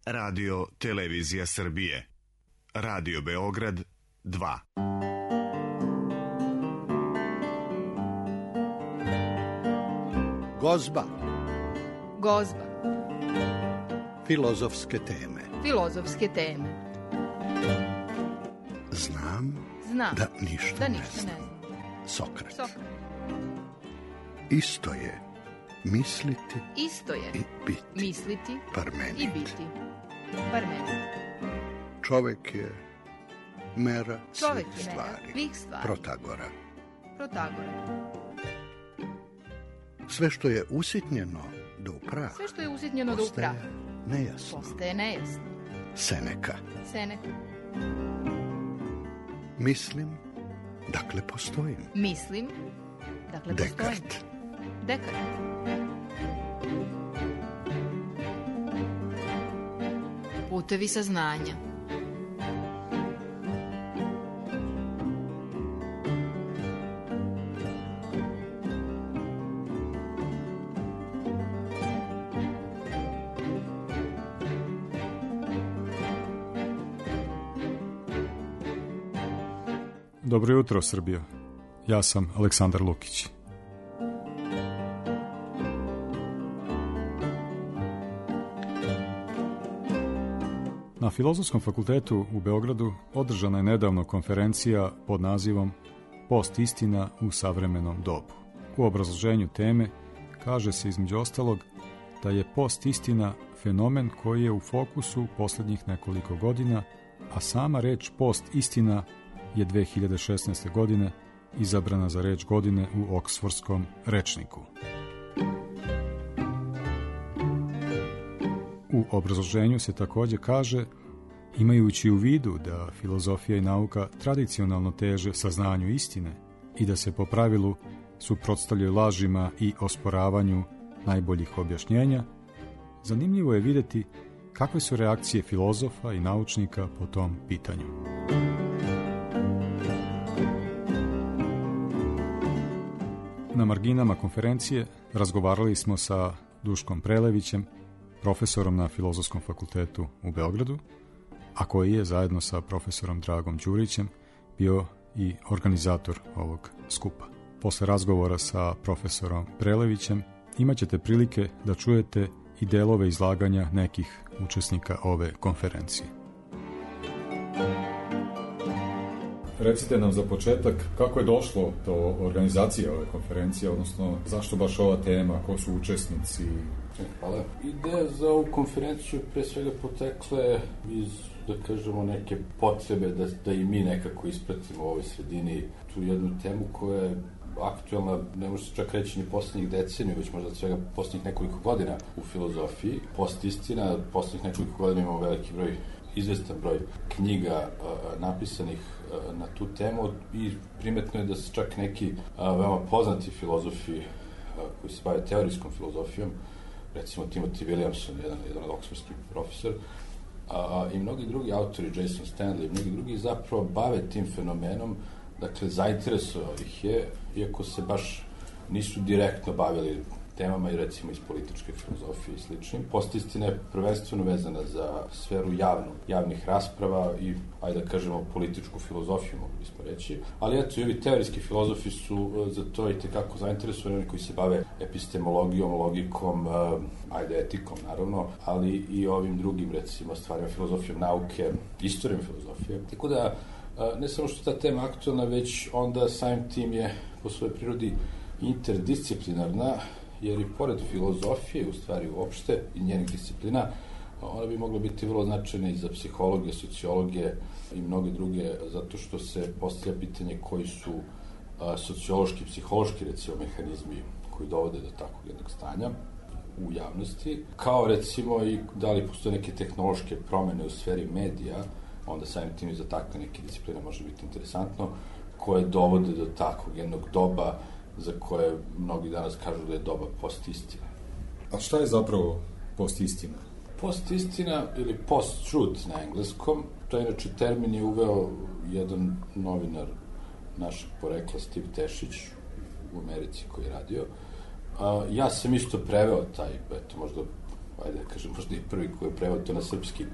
Radio Televizija Srbije. Radio Beograd 2. Gozba. Gozba. Filozofske teme. Filozofske teme. Znam da ništa ne znam. Sokrat. Isto je misliti i biti. Misliti Parmenid. i biti. Parmenid. Čovek je mera Čovek svih je mera stvari. svih stvari. Protagora. Sve što je usitnjeno do prah. Sve što je usitnjeno do prah. Nejasno. Postaje nejasno. Seneka. Mislim, dakle postojim. Mislim, dakle postojim. Dekart. Putevi saznanja. Dobro jutro, Srbijo. Ja sam Aleksandar Lukić. Na Filozofskom fakultetu u Beogradu održana je nedavno konferencija pod nazivom Post-istina u savremenom dobu. U obrazloženju teme kaže se između ostalog da je post-istina fenomen koji je u fokusu posljednjih nekoliko godina, a sama reč post-istina je 2016. godine izabrana za reč godine u Oksfordskom rečniku. U obrazloženju se također kaže, imajući u vidu da filozofija i nauka tradicionalno teže saznanju istine i da se po pravilu suprotstavljaju lažima i osporavanju najboljih objašnjenja, zanimljivo je vidjeti kakve su reakcije filozofa i naučnika po tom pitanju. Na marginama konferencije razgovarali smo sa Duškom Prelevićem, profesorom na Filozofskom fakultetu u Beogradu, a koji je zajedno sa profesorom Dragom Đurićem bio i organizator ovog skupa. Posle razgovora sa profesorom Prelevićem imat ćete prilike da čujete i delove izlaganja nekih učesnika ove konferencije. Recite nam za početak kako je došlo do organizacije ove konferencije, odnosno zašto baš ova tema, ko su učesnici? Hvala. Ideja za ovu konferenciju pre svega potekle iz, da kažemo, neke potrebe da i mi nekako ispratimo u ovoj sredini tu jednu temu koja je aktualna, ne može se čak reći ni poslednjih deceniju, već možda svega poslednjih nekoliko godina u filozofiji. Post-istina, poslednjih nekoliko godina imamo veliki broj, izvestan broj knjiga napisanih na tu temu i primetno je da se čak neki veoma poznati filozofi koji se bave teorijskom filozofijom, recimo Timothy Williamson, jedan od oksfordskih profesor, i mnogi drugi autori, Jason Stanley, mnogi drugi zapravo bave tim fenomenom, dakle zainteresovao ih je, iako se baš nisu direktno bavili temama i recimo iz političke filozofije i sličnim. Post-istina je prvenstveno vezana za sferu javnih rasprava i, ajde da kažemo, političku filozofiju, mogli bismo reći. Ali eto, i ovi teorijski filozofi su za to i tekako zainteresovani, oni koji se bave epistemologijom, logikom, etikom, naravno, ali i ovim drugim, recimo, stvarima, filozofijom nauke, istorijom filozofije. Tako da, ne samo što ta tema aktualna, već onda samim tim je po svojoj prirodi interdisciplinarna, jer i pored filozofije, u stvari uopšte, i njenih disciplina, ona bi mogla biti vrlo značajna i za psihologije, sociologije i mnoge druge, zato što se postavlja pitanje koji su sociološki, psihološki, recimo, mehanizmi koji dovode do takvog jednog stanja u javnosti, kao recimo i da li postoje neke tehnološke promene u sferi medija, onda samim tim i za takve neke discipline može biti interesantno, koje dovode do takvog jednog doba za koje mnogi danas kažu da je doba post-istina. A šta je zapravo post-istina? Post-istina ili post-truth na engleskom, to je inače termin je uveo jedan novinar našeg porekla, Steve Tešić, u Americi koji je radio. Ja sam isto preveo taj, možda ajde da kažem, možda i prvi koji je preveo to na srpski,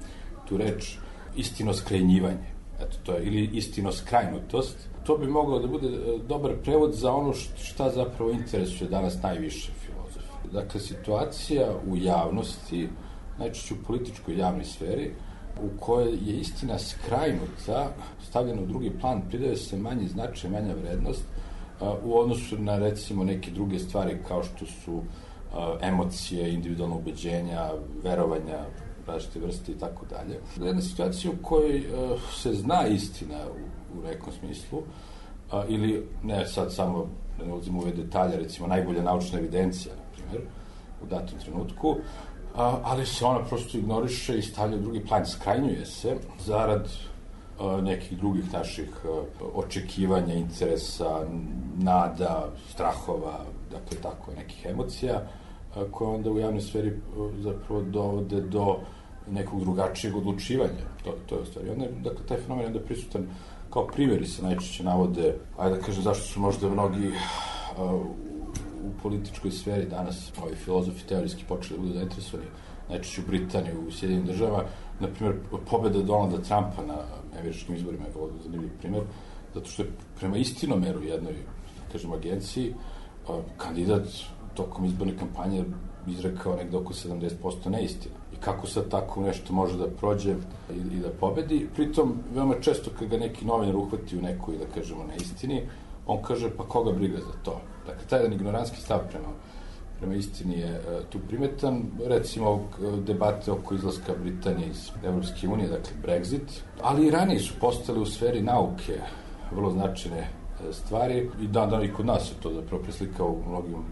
tu reč istinoskrajnjivanje, eto to je, ili istinoskrajnutost. To bi moglo da bude dobar prevod za ono šta zapravo interesuje danas najviše filozofe. Dakle, situacija u javnosti, najčešće u političkoj javnoj sferi, u kojoj je istina skrajnuta, stavljena u drugi plan, pridaje se manji značaj, manja vrednost u odnosu na, recimo, neke druge stvari kao što su emocije, individualna ubeđenja, verovanja, različite vrste i tako dalje. Jedna situacija u kojoj se zna istina u nekom smislu, ili ne sad samo, da ne ulazimo u ove detalje, recimo najbolja naučna evidencija, na primjer, u datom trenutku, ali se ona prosto ignoriše i stavlja u drugi plan, skrajnjuje se zarad nekih drugih naših očekivanja, interesa, nada, strahova, dakle tako, nekih emocija, koje onda u javnoj sferi zapravo dovode do nekog drugačijeg odlučivanja. To je u stvari. Onda, dakle, taj fenomen je onda prisutan kao primjeri se najčešće navode, ajde da kažem zašto su možda mnogi u političkoj sferi danas ovi filozofi teorijski počeli da budu zainteresovani, najčešće u Britaniji, u Sjedinjenim državama, na primjer, pobeda Donalda Trumpa na američkim izborima je vrlo zanimljiv primjer, zato što je prema istinomeru jednoj, da kažem, agenciji, kandidat tokom izborne kampanje izrekao negde oko 70% neistina. I kako sad tako nešto može da prođe i da pobedi? Pritom, veoma često kad ga neki novinar uhvati u nekoj, da kažemo, neistini, on kaže, pa koga briga za to? Dakle, taj jedan ignorantski stav prema istini je tu primetan. Recimo, debate oko izlaska Britanije iz Evropske unije, dakle, Brexit, ali i ranije su postale u sferi nauke vrlo značajne stvari i dan i kod nas se to zapravo preslikao u mnogim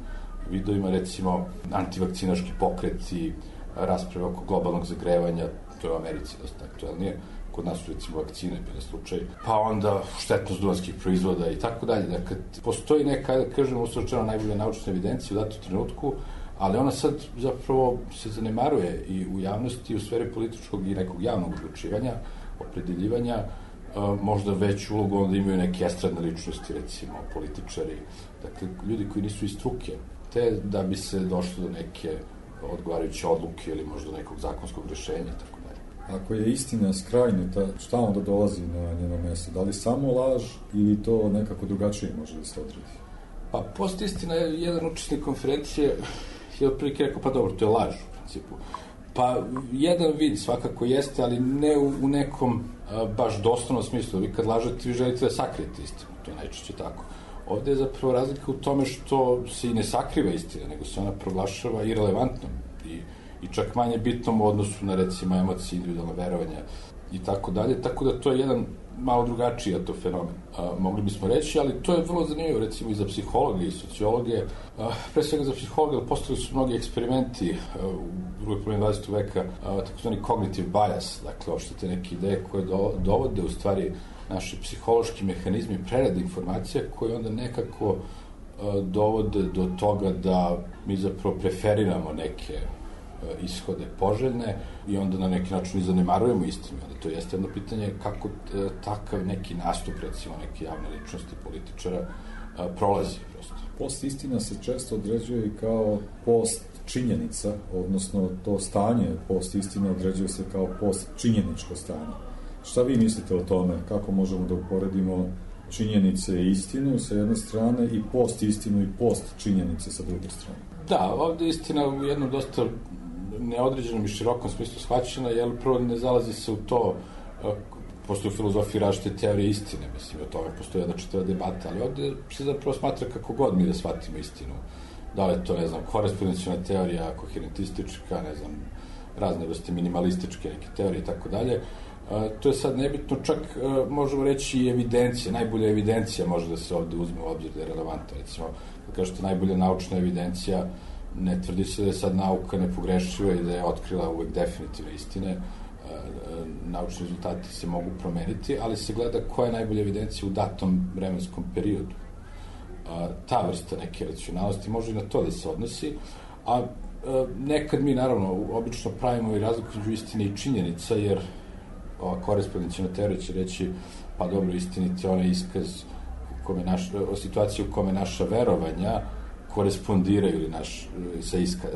vidovima, recimo antivakcinaški pokreti, rasprave oko globalnog zagrevanja, to je u Americi dosta aktualnije, kod nas su recimo vakcine bile slučaj, pa onda štetnost duvanskih proizvoda i tako dalje. Dakle, postoji neka, da kažemo, usrećena najbolja naučna evidencija u datom trenutku, ali ona sad zapravo se zanemaruje i u javnosti, u sferi političkog i nekog javnog odlučivanja, opredeljivanja, možda veću ulogu onda imaju neke estradne ličnosti, recimo političari, dakle, ljudi koji nisu iz struke, te da bi se došlo do neke odgovarajuće odluke ili možda nekog zakonskog rešenja, tako dalje. Ako je istina skrajnuta, šta onda dolazi na njeno mesto? Da li samo laž ili to nekako drugačije može da se odredi? Pa, postistina je jedan učesnik konferencije je otprilike rekao, pa dobro, to je laž u principu. Pa, jedan vid svakako jeste, ali ne u nekom baš doslovnom smislu. Vi kad lažete, vi želite da sakrijete istinu, to je najčešće tako. Ovde je zapravo razlika u tome što se i ne sakriva istina, nego se ona proglašava irelevantnom i čak manje bitnom u odnosu na, recimo, emocije, individualna verovanja i tako dalje. Tako da to je jedan malo drugačiji to fenomen, mogli bismo reći, ali to je vrlo zanimljivo, recimo, i za psihologe i sociologe, pre svega za psihologe, ali postali su mnogi eksperimenti u drugoj polovini 20. veka, takozvani cognitive bias, dakle, uopšte te neke ideje koje dovode u stvari naši psihološki mehanizmi prerade informacija koje onda nekako dovode do toga da mi zapravo preferiramo neke ishode poželjne i onda na neki način i zanemarujemo istinu. To jeste jedno pitanje kako takav neki nastup, recimo, neke javne ličnosti političara prolazi prosto. Post istina se često određuje i kao post činjenica, odnosno to stanje post istine određuje se kao post činjeničko stanje. Šta vi mislite o tome? Kako možemo da uporedimo činjenice i istinu sa jedne strane i post istinu i post činjenice sa druge strane? Da, ovde je istina u jednom dosta neodređenom i širokom smislu shvaćena, jer prvo ne zalazi se u to, postoji u filozofiji različite teorije istine, mislim, o tome postoji jedna čitava debata, ali ovde se zapravo smatra kako god mi da shvatimo istinu. Da li je to, ne znam, korespondencijalna teorija, koherentistička, ne znam, razne vrste minimalističke neke teorije i tako dalje. To je sad nebitno, čak možemo reći i evidencija, najbolja evidencija može da se ovde uzme u obzir da je relevantna, recimo, da kažete najbolja naučna evidencija, ne tvrdi se da je sad nauka nepogrešiva i da je otkrila uvek definitivne istine, naučni rezultati se mogu promeniti, ali se gleda koja je najbolja evidencija u datom vremenskom periodu. Ta vrsta neke racionalnosti može i na to da se odnosi, a nekad mi, naravno, obično pravimo i razliku između istine i činjenica, jer ova korespondencijalna teorija će reći, pa dobro, istinite je onaj iskaz o situaciji u kome naša verovanja korespondiraju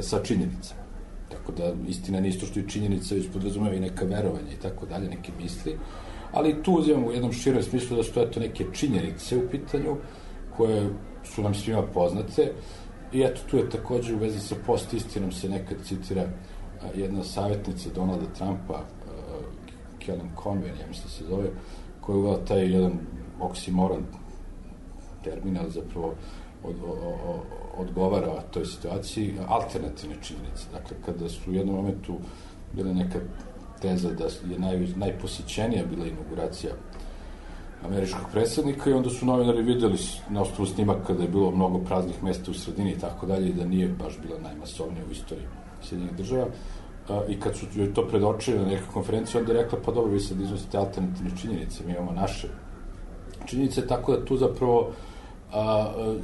sa činjenicama. Tako da istina nije isto što i činjenica, već podrazumeva i neka verovanja i tako dalje, neke misli. Ali tu uzimamo u jednom širom smislu da su to neke činjenice u pitanju koje su nam svima poznate. I eto, tu je takođe u vezi sa post-istinom se nekad citira jedna savjetnica Donalda Trumpa, Kellyanne Conway, ja mislim se zove, koja je uvela taj jedan oksimoron termin, ali zapravo odgovara toj situaciji, alternativne činjenice. Dakle, kada su u jednom momentu bila neka teza da je najposjećenija bila inauguracija američkog predsjednika i onda su novinari videli na osnovu snimaka da je bilo mnogo praznih mesta u sredini i tako dalje i da nije baš bila najmasovnija u istoriji Sjedinjenih država. I kad su joj to predočili na nekoj konferenciji, onda je rekla, pa dobro, vi sad iznosite alternativne činjenice, mi imamo naše činjenice, tako da tu zapravo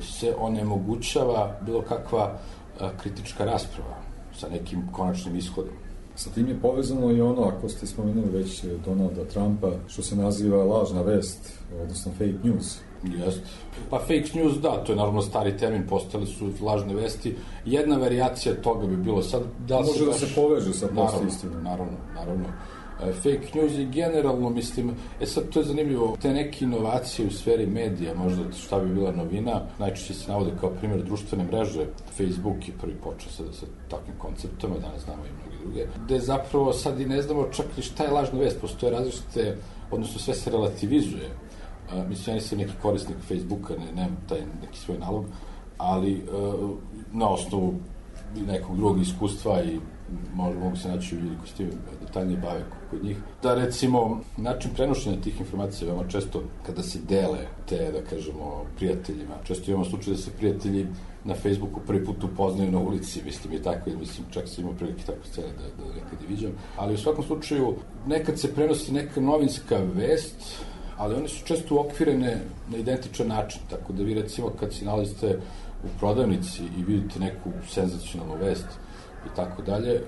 se onemogućava bilo kakva kritička rasprava sa nekim konačnim ishodom. Sa tim je povezano i ono, ako ste spomenuli već Donalda Trumpa, što se naziva lažna vest, odnosno fake news. Jest. Pa fake news, da, to je naravno stari termin, postali su lažne vesti. Jedna varijacija toga bi bilo sad... Može da se poveže sa post-istinom. Naravno. Fake news i generalno, mislim, sad to je zanimljivo, te neke inovacije u sferi medija, možda šta bi bila novina, najčešće se navode kao primjer društvene mreže. Facebook je prvi počeo sa takvim konceptama, danas znamo i mnogi druge, gde zapravo sad i ne znamo čak ni šta je lažna vest, postoje različite, odnosno sve se relativizuje. Mislim, ja nisam neki korisnik Facebooka, nemam taj neki svoj nalog, ali na osnovu nekog drugog iskustva i mogu se naći u ljudi koji s tim detaljnije bave kod njih. Da, recimo, način prenošenja tih informacija veoma često kada se dele te, da kažemo, prijateljima. Često imamo slučaj da se prijatelji na Facebooku prvi put upoznaju na ulici, mislim i tako, mislim, čak sam imao prilike takve scene da nekad i viđam. Ali u svakom slučaju, nekad se prenosi neka novinska vest, ali one su često uokvirene na identičan način, tako da vi recimo kad se nalazite u prodavnici i vidite neku senzacionalnu vest i tako dalje,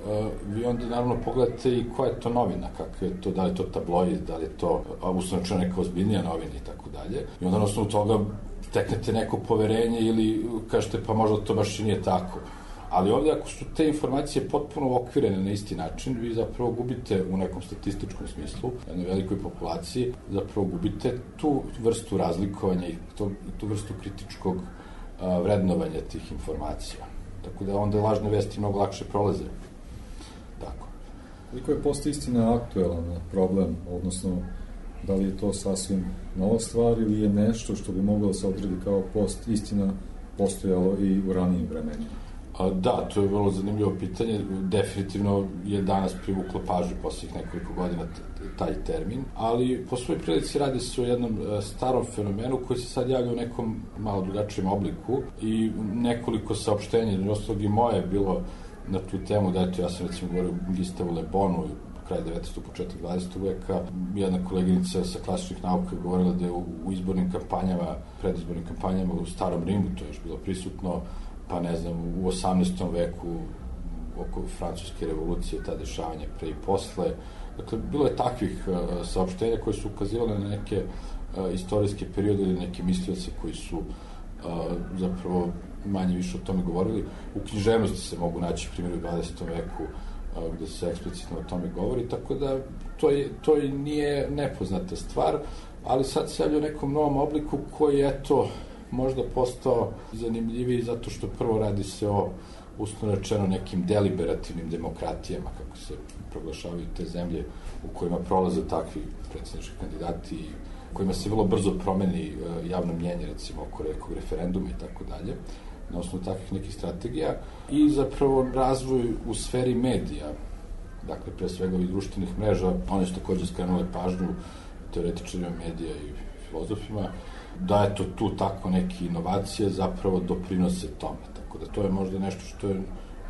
vi onda naravno pogledate i koja je to novina, kakve je to, da li je to tabloid, da li je to uslovno neka ozbiljnija novina i tako dalje. I onda na osnovu toga steknete neko poverenje ili kažete pa možda to baš i nije tako. Ali ovdje ako su te informacije potpuno okvirene na isti način, vi zapravo gubite u nekom statističkom smislu, jednoj velikoj populaciji, zapravo gubite tu vrstu razlikovanja i tu vrstu kritičkog vrednovanja tih informacija. Tako da onda lažne vesti mnogo lakše prolaze. Tako. Koliko je post-istina aktuelan problem, odnosno da li je to sasvim nova stvar ili je nešto što bi moglo da se odredi kao post-istina postojalo i u ranijim vremenima? Da, to je vrlo zanimljivo pitanje. Definitivno je danas privuklo pažnju posljednjih nekoliko godina taj termin, ali po svojoj prilici radi se o jednom starom fenomenu koji se sad javlja u nekom malo drugačijem obliku i nekoliko saopštenja, između ostalog i moje je bilo na tu temu, da eto ja sam recimo govorio o Gistavu Le Bonu kraj 19. početak 20. veka. Jedna koleginica sa klasičnih nauka je govorila da je u izbornim kampanjama, predizbornim kampanjama u Starom Rimu, to je još bilo prisutno, pa ne znam, u 18. veku oko Francuske revolucije, ta dešavanja pre i posle. Dakle, bilo je takvih saopštenja koje su ukazivale na neke istorijske periode ili neke mislioce koji su zapravo manje više o tome govorili. U književnosti se mogu naći primjer u 20. veku gde se eksplicitno o tome govori, tako da to i nije nepoznata stvar, ali sad se javlja u nekom novom obliku koji, eto, možda postao zanimljiviji zato što prvo radi se o, uslovno rečeno, nekim deliberativnim demokratijama, kako se proglašavaju te zemlje u kojima prolaze takvi predsjednički kandidati, u kojima se vrlo brzo promeni javno mnjenje, recimo, oko nekog referenduma i tako dalje, na osnovu takvih nekih strategija, i zapravo razvoj u sferi medija, dakle, pre svega ovih društvenih mreža, one su takođe skrenule pažnju teoretičarima medija i filozofima, da eto tu tako neke inovacije zapravo doprinose tome. Tako da to je možda nešto što je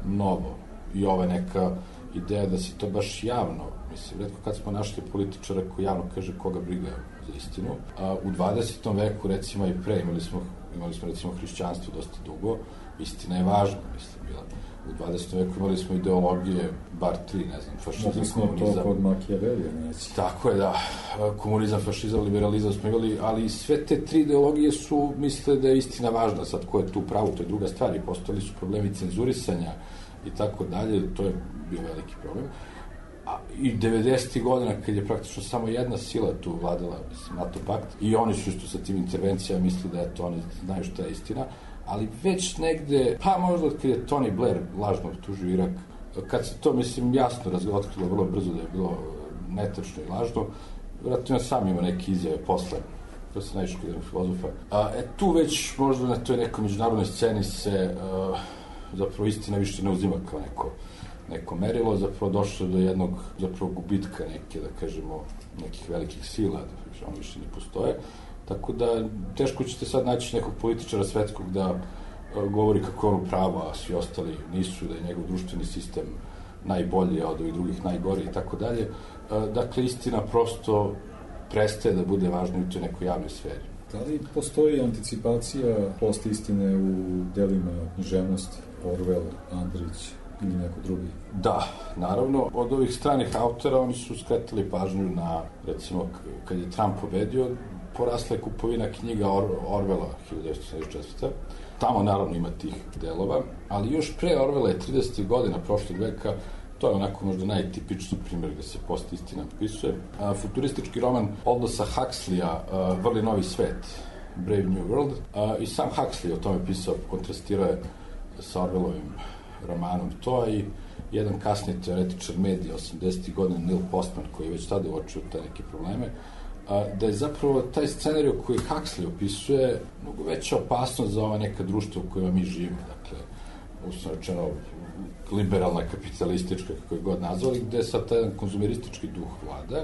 novo i ova neka ideja da se to baš javno, mislim, retko kad smo našli političara koji javno kaže koga briga za istinu. A u 20. veku, recimo i pre, imali smo recimo hrišćanstvo dosta dugo, istina je važna, mislim, bila. U 20. veku imali smo ideologije, bar tri, ne znam, fašizam, komunizam. To kod Machiavellija, neći. Tako je, da. Komunizam, fašizam, liberalizam smo imali, ali sve te tri ideologije su misle da je istina važna. Sad, ko je tu pravo, to je druga stvar. I postali su problemi cenzurisanja i tako dalje, to je bio veliki problem. I 90. godina, kad je praktično samo jedna sila tu vladala, mislim, NATO pakt, i oni su isto sa tim intervencijama mislili da to oni znaju šta je istina, ali već negde, pa možda kad je Tony Blair lažno optužio Irak, kad se to, mislim, jasno otkrilo vrlo brzo da je bilo netačno i lažno, vjerojatno ja sam ima neke izjave posle, to se najviše kod jednog filozofa. Tu već možda na toj nekoj međunarodnoj sceni se zapravo istina više ne uzima kao neko merilo, zapravo došlo do jednog zapravo gubitka neke, da kažemo, nekih velikih sila, da on više ne postoje. Tako da teško ćete sad naći nekog političara svetskog da govori kako je on u pravu, a svi ostali nisu, da je njegov društveni sistem najbolji, a od ovih drugih najgori i tako dalje. Dakle, istina prosto prestaje da bude važna u toj nekoj javnoj sferi. Da li postoji anticipacija post-istine u delima književnosti, Orwell, Andrić ili neko drugi? Da, naravno. Od ovih stranih autora oni su skretali pažnju na, recimo, kad je Trump pobedio, porasla je kupovina knjiga Orwella 1974. Tamo naravno ima tih delova, ali još pre Orwella je 30. godina prošlog veka, to je onako možda najtipičniji primjer gde se post-istina opisuje. Futuristički roman Aldosa Huxleya, Vrli novi svet, Brave New World, i sam Huxley o tome pisao, kontrastirao je sa Orwellovim romanom to, i jedan kasniji teoretičar medija 80. godina Neil Postman, koji je već tada uočio te neke probleme, da je zapravo taj scenarij koji Huxley opisuje mnogo veća opasnost za ova neka društva u kojima mi živimo, dakle, uslovno rečeno liberalna, kapitalistička, kako je god nazvali, gde sad taj jedan konzumeristički duh vlada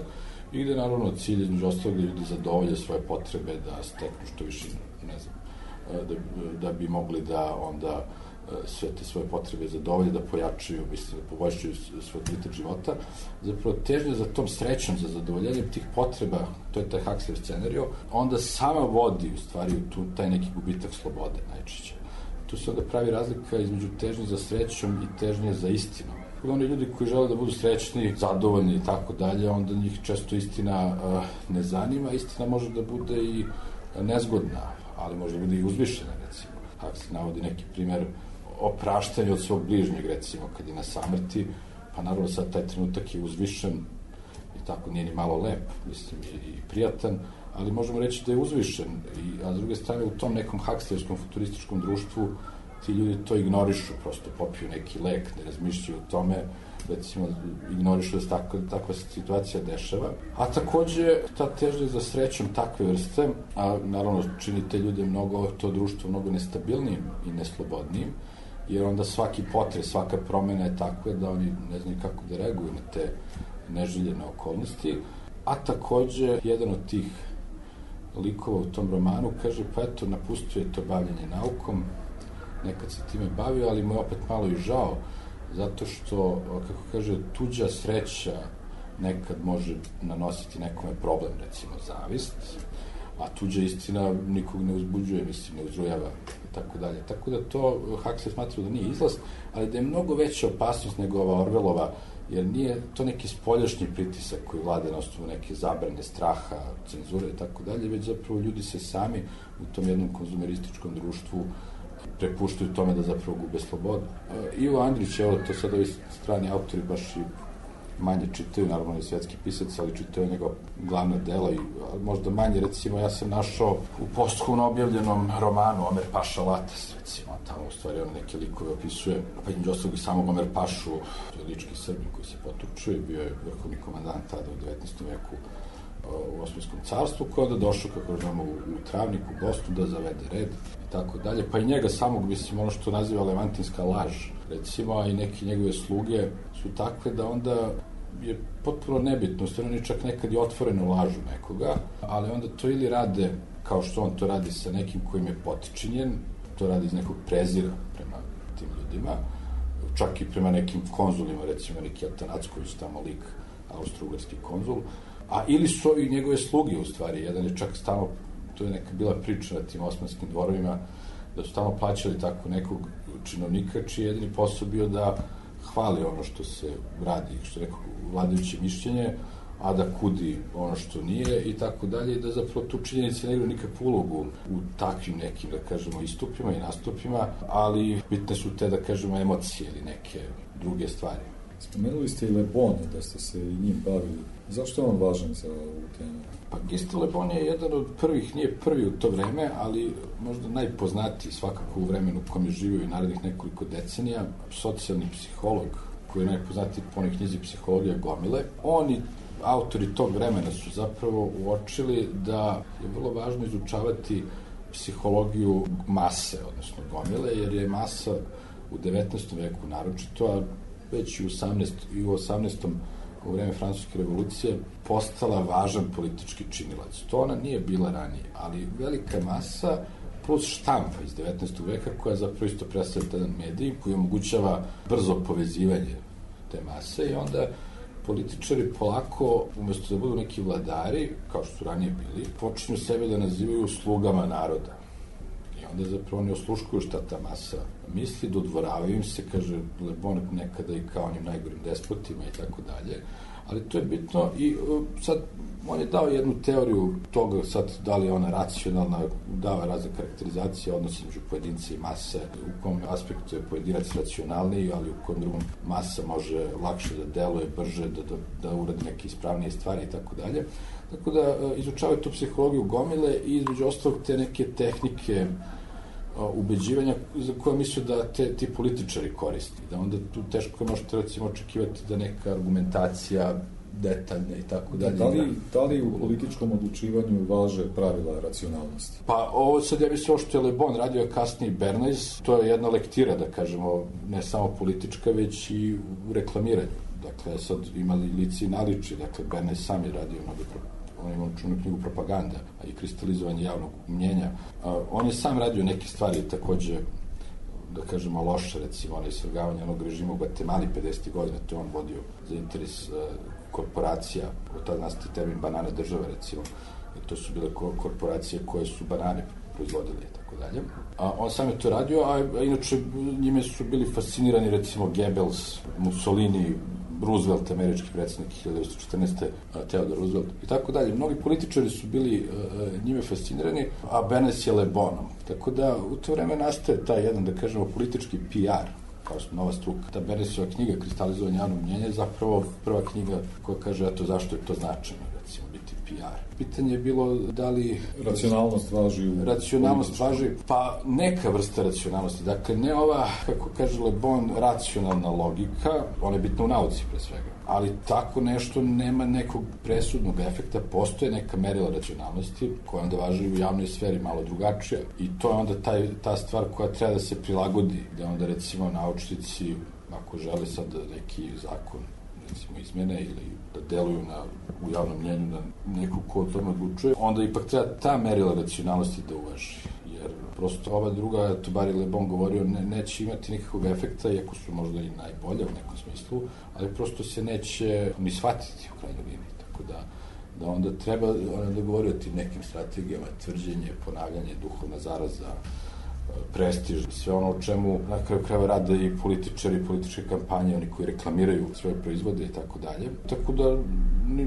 i gde naravno cilj između ostalog da ljudi zadovolje svoje potrebe, da steknu što više, ne znam, da bi mogli da onda sve te svoje potrebe zadovolje, da pojačaju, mislim, da poboljšaju svoj kvalitet života. Zapravo, težnja za tom srećom, za zadovoljenjem tih potreba, to je taj Huxley scenario, onda sama vodi, u stvari, u taj neki gubitak slobode, najčešće. Tu se onda pravi razlika između težnje za srećom i težnje za istinom. Oni ljudi koji žele da budu srećni, zadovoljni i tako dalje, onda njih često istina ne zanima. Istina može da bude i nezgodna, ali može da bude i uzvišena, recimo. Huxley navodi neki primer opraštanja od svog bližnjeg, recimo, kad je na samrti, pa naravno sad taj trenutak je uzvišen i tako nije ni malo lep, mislim, i prijatan, ali možemo reći da je uzvišen, a s druge strane u tom nekom Huxleyevskom futurističkom društvu ti ljudi to ignorišu, prosto popiju neki lek, ne razmišljaju o tome, recimo ignorišu da se takva situacija dešava. A takođe ta težnja za srećom takve vrste, a naravno čini te ljude to društvo mnogo nestabilnijim i neslobodnijim, jer onda svaki potres, svaka promena je takva da oni ne znaju kako da reaguju na te neželjene okolnosti. A takođe, jedan od tih likova u tom romanu kaže, pa eto, napustio je to bavljenje naukom, nekad se time bavio, ali mu je opet malo i žao, zato što, kako kaže, tuđa sreća nekad može nanositi nekome problem, recimo zavist, a tuđa istina nikog ne uzbuđuje, mislim, ne uzrujava i tako dalje. Tako da to Huxley smatra da nije izlaz, ali da je mnogo veća opasnost nego ova Orwellova, jer nije to neki spoljašnji pritisak koji vlade na osnovu neke zabrane, straha, cenzure i tako dalje, već zapravo ljudi se sami u tom jednom konzumerističkom društvu prepuštaju tome da zapravo gube slobodu. Ivo Andrić, evo, to sad ovi strani autori baš i manje čitaju, naravno je svetski pisac, ali čitaju njegov glavna dela i možda manje, recimo, ja sam našao u posthumno objavljenom romanu Omer Paša Latas, recimo, tamo u stvari on neke likove opisuje, pa između ostalog i samog Omer Pašu, to je lički Srbin koji se potučio i bio je vrhovni komandant tada u 19. veku u Osmanskom carstvu, koji je onda došao, kako znamo, u Travnik, u Bosnu, da zavede red i tako dalje, pa i njega samog, mislim, ono što naziva levantinska laž, recimo, a i neke njegove sluge su takve da onda je potpuno nebitno, stvarno oni čak nekad i otvoreno lažu nekoga, ali onda to ili rade kao što on to radi sa nekim kojim je potičinjen, to radi iz nekog prezira prema tim ljudima, čak i prema nekim konzulima, recimo neki Atanacković, tamo lik, austro-ugarski konzul, a ili su ovi njegove sluge u stvari, jedan je čak stalno, to je neka bila priča na tim osmanskim dvorovima, da su stalno plaćali tako nekog činovnika, čiji je jedini posao bio da hvali ono što se radi, što je neko vladajuće mišljenje, a da kudi ono što nije i tako dalje, i da zapravo tu činjenice ne igraju nikakvu ulogu u takvim nekim, da kažemo, istupima i nastupima, ali bitne su te, da kažemo, emocije ili neke druge stvari. Spomenuli ste i Le Bon, da ste se i njim bavili. Zašto je on važan za ovu temu? Pa Gustave Le Bon je jedan od prvih, nije prvi u to vreme, ali možda najpoznatiji svakako u vremenu u kojem je živio i narednih nekoliko decenija, socijalni psiholog koji je najpoznatiji po onoj knjizi Psihologija gomile. Oni, autori tog vremena, su zapravo uočili da je vrlo važno izučavati psihologiju mase, odnosno gomile, jer je masa u 19. veku naročito, a već i u 18. u vreme Francuske revolucije postala važan politički činilac. To ona nije bila ranije, ali velika masa plus štampa iz 19. veka koja zapravo isto predstavlja jedan medij koji omogućava brzo povezivanje te mase i onda političari polako, umesto da budu neki vladari, kao što su ranije bili, počinju sebe da nazivaju slugama naroda. I onda zapravo oni osluškuju šta ta masa misli, dodvoravaju im se, kaže Le Bon nekada i kao onim najgorim despotima i tako dalje. Ali to je bitno i sad on je dao jednu teoriju toga, sad da li je ona racionalna, dava razne karakterizacije, odnosi među pojedince i mase, u kom aspektu je pojedinac racionalniji, ali u kom drugom masa može lakše da deluje, brže, da uradi neke ispravnije stvari i tako dalje. Tako da izučavaju tu psihologiju gomile i između ostalog te neke tehnike ubeđivanja za koje misle da ti političari koristi. Da onda tu teško možete recimo očekivati da neka argumentacija detaljna i tako dalje. Da li u političkom odlučivanju važe pravila racionalnosti? Pa ovo sad ja mislim što je Le Bon radio, a kasnije Bernays, to je jedna lektira, da kažemo, ne samo politička, već i u reklamiranju. Dakle, sad imali lici i naliči, dakle, Bernays sam je radio mnogo on ima učinu knjigu Propaganda i kristalizovanje javnog mnjenja. On je sam radio neke stvari takođe, da kažemo, loše, recimo, ono isvrgavanje onog režima u Gvatemali 50. godina, to je on vodio za interes korporacija, od tada nastati termin banana države, recimo, i to su bile korporacije koje su banane proizvodili i tako dalje. On sam je to radio, a inače njime su bili fascinirani, recimo, Goebbels, Mussolini, Roosevelt, američki predsjednik 1914. Theodore Roosevelt i tako dalje. Mnogi političari su bili njime fascinirani, a Bernays je Le Bonom. Tako da u to vreme nastaje taj jedan, da kažemo, politički PR, kao nova struka. Ta Bernaysova knjiga Kristalizovanje javnog mnjenja je zapravo prva knjiga koja kaže eto zašto je to značajno, recimo, biti PR. Pitanje je bilo da li racionalnost važi racionalnost važi, pa neka vrsta racionalnosti. Dakle, ne ova, kako kaže Le Bon, racionalna logika, ona je bitna u nauci pre svega, ali tako nešto nema nekog presudnog efekta, postoje neka merila racionalnosti koja onda važi u javnoj sferi malo drugačija i to je onda ta stvar koja treba da se prilagodi, da onda recimo naučnici, ako žele sad neki zakon recimo izmene ili da deluju u javnom mnjenju na nekog ko o tome odlučuje, onda ipak treba ta merila racionalnosti da uvaži. Jer prosto ova druga, to bar je Le Bon govorio, neće imati nikakvog efekta, iako su možda i najbolje u nekom smislu, ali prosto se neće ni shvatiti u krajnjoj liniji. Tako da onda treba da govori o tim nekim strategijama, tvrđenje, ponavljanje, duhovna zaraza, prestiž, sve ono o čemu na kraju krajeva rade i političari, političke kampanje, oni koji reklamiraju svoje proizvode i tako dalje. Tako da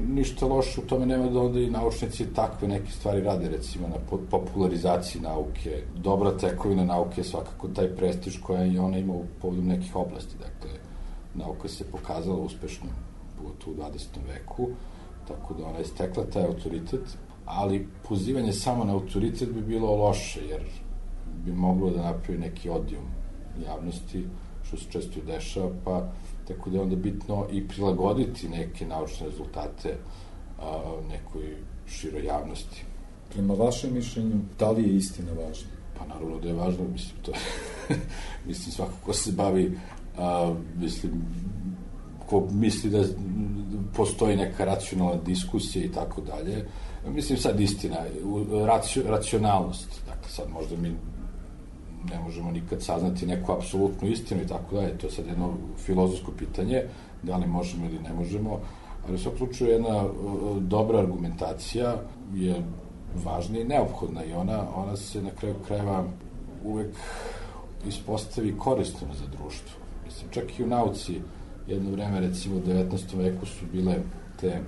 ništa loše u tome nema, da onda i naučnici takve neke stvari rade, recimo na popularizaciji nauke. Dobra tekovina nauke je svakako taj prestiž koja i ona ima u povodu nekih oblasti. Dakle, nauka se pokazala uspešno u 20. veku, tako da ona je stekla taj autoritet, ali pozivanje samo na autoritet bi bilo loše, jer bi moglo da napravi neki odijum javnosti, što se često i dešava, pa tako da je onda bitno i prilagoditi neke naučne rezultate nekoj široj javnosti. Prema vašem mišljenju, da li je istina važna? Pa naravno da je važno, mislim, to mislim, svako ko se bavi, mislim, ko misli da postoji neka racionalna diskusija i tako dalje, mislim, sad istina, racionalnost, dakle, sad možda mi ne možemo nikad saznati neku apsolutnu istinu i tako dalje, to je sad jedno filozofsko pitanje, da li možemo ili ne možemo, ali u svakom slučaju jedna dobra argumentacija je važna i neophodna i ona se na kraju krajeva uvek ispostavi korisnom za društvo. Mislim, čak i u nauci jedno vreme, recimo u 19. veku su bile te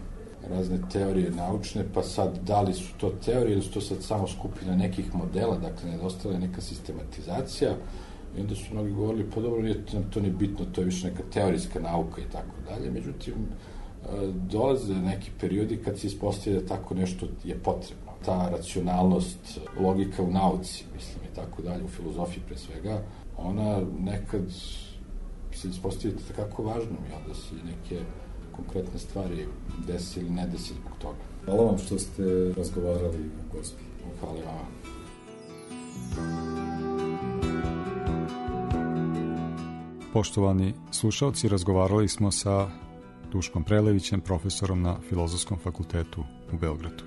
razne teorije naučne, pa sad da li su to teorije ili su to sad samo skupina nekih modela, dakle nedostala je neka sistematizacija i onda su mnogi govorili, pa dobro, nije to ni bitno, to je više neka teorijska nauka i tako dalje, međutim, dolaze neki periodi kad se ispostavlja da tako nešto je potrebno. Ta racionalnost, logika u nauci, mislim, i tako dalje, u filozofiji pre svega, ona nekad se ispostavlja tako važnom i onda se neke konkretne stvari desi ili ne desi zbog toga. Hvala vam što ste razgovarali o Gospi. Hvala vam. Poštovani slušalci, razgovarali smo sa Duškom Prelevićem, profesorom na Filozofskom fakultetu u Beogradu.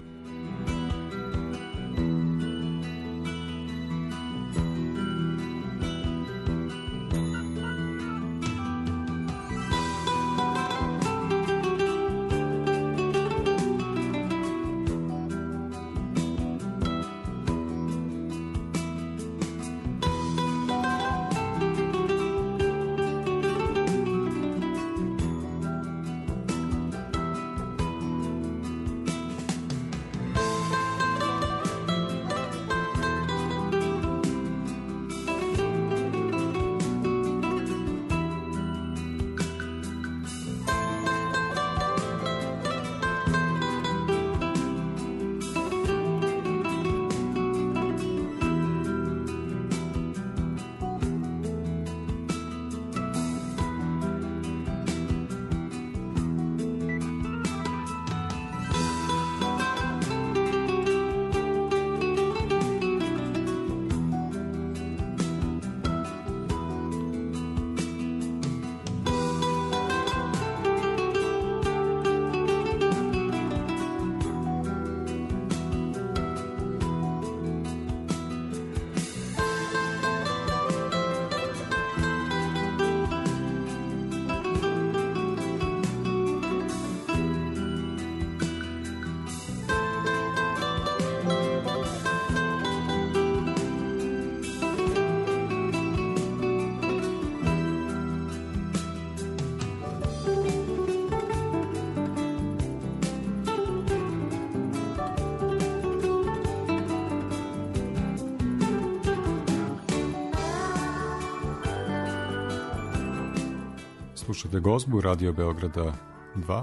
Slušate Gozbu, Radio Beograda 2.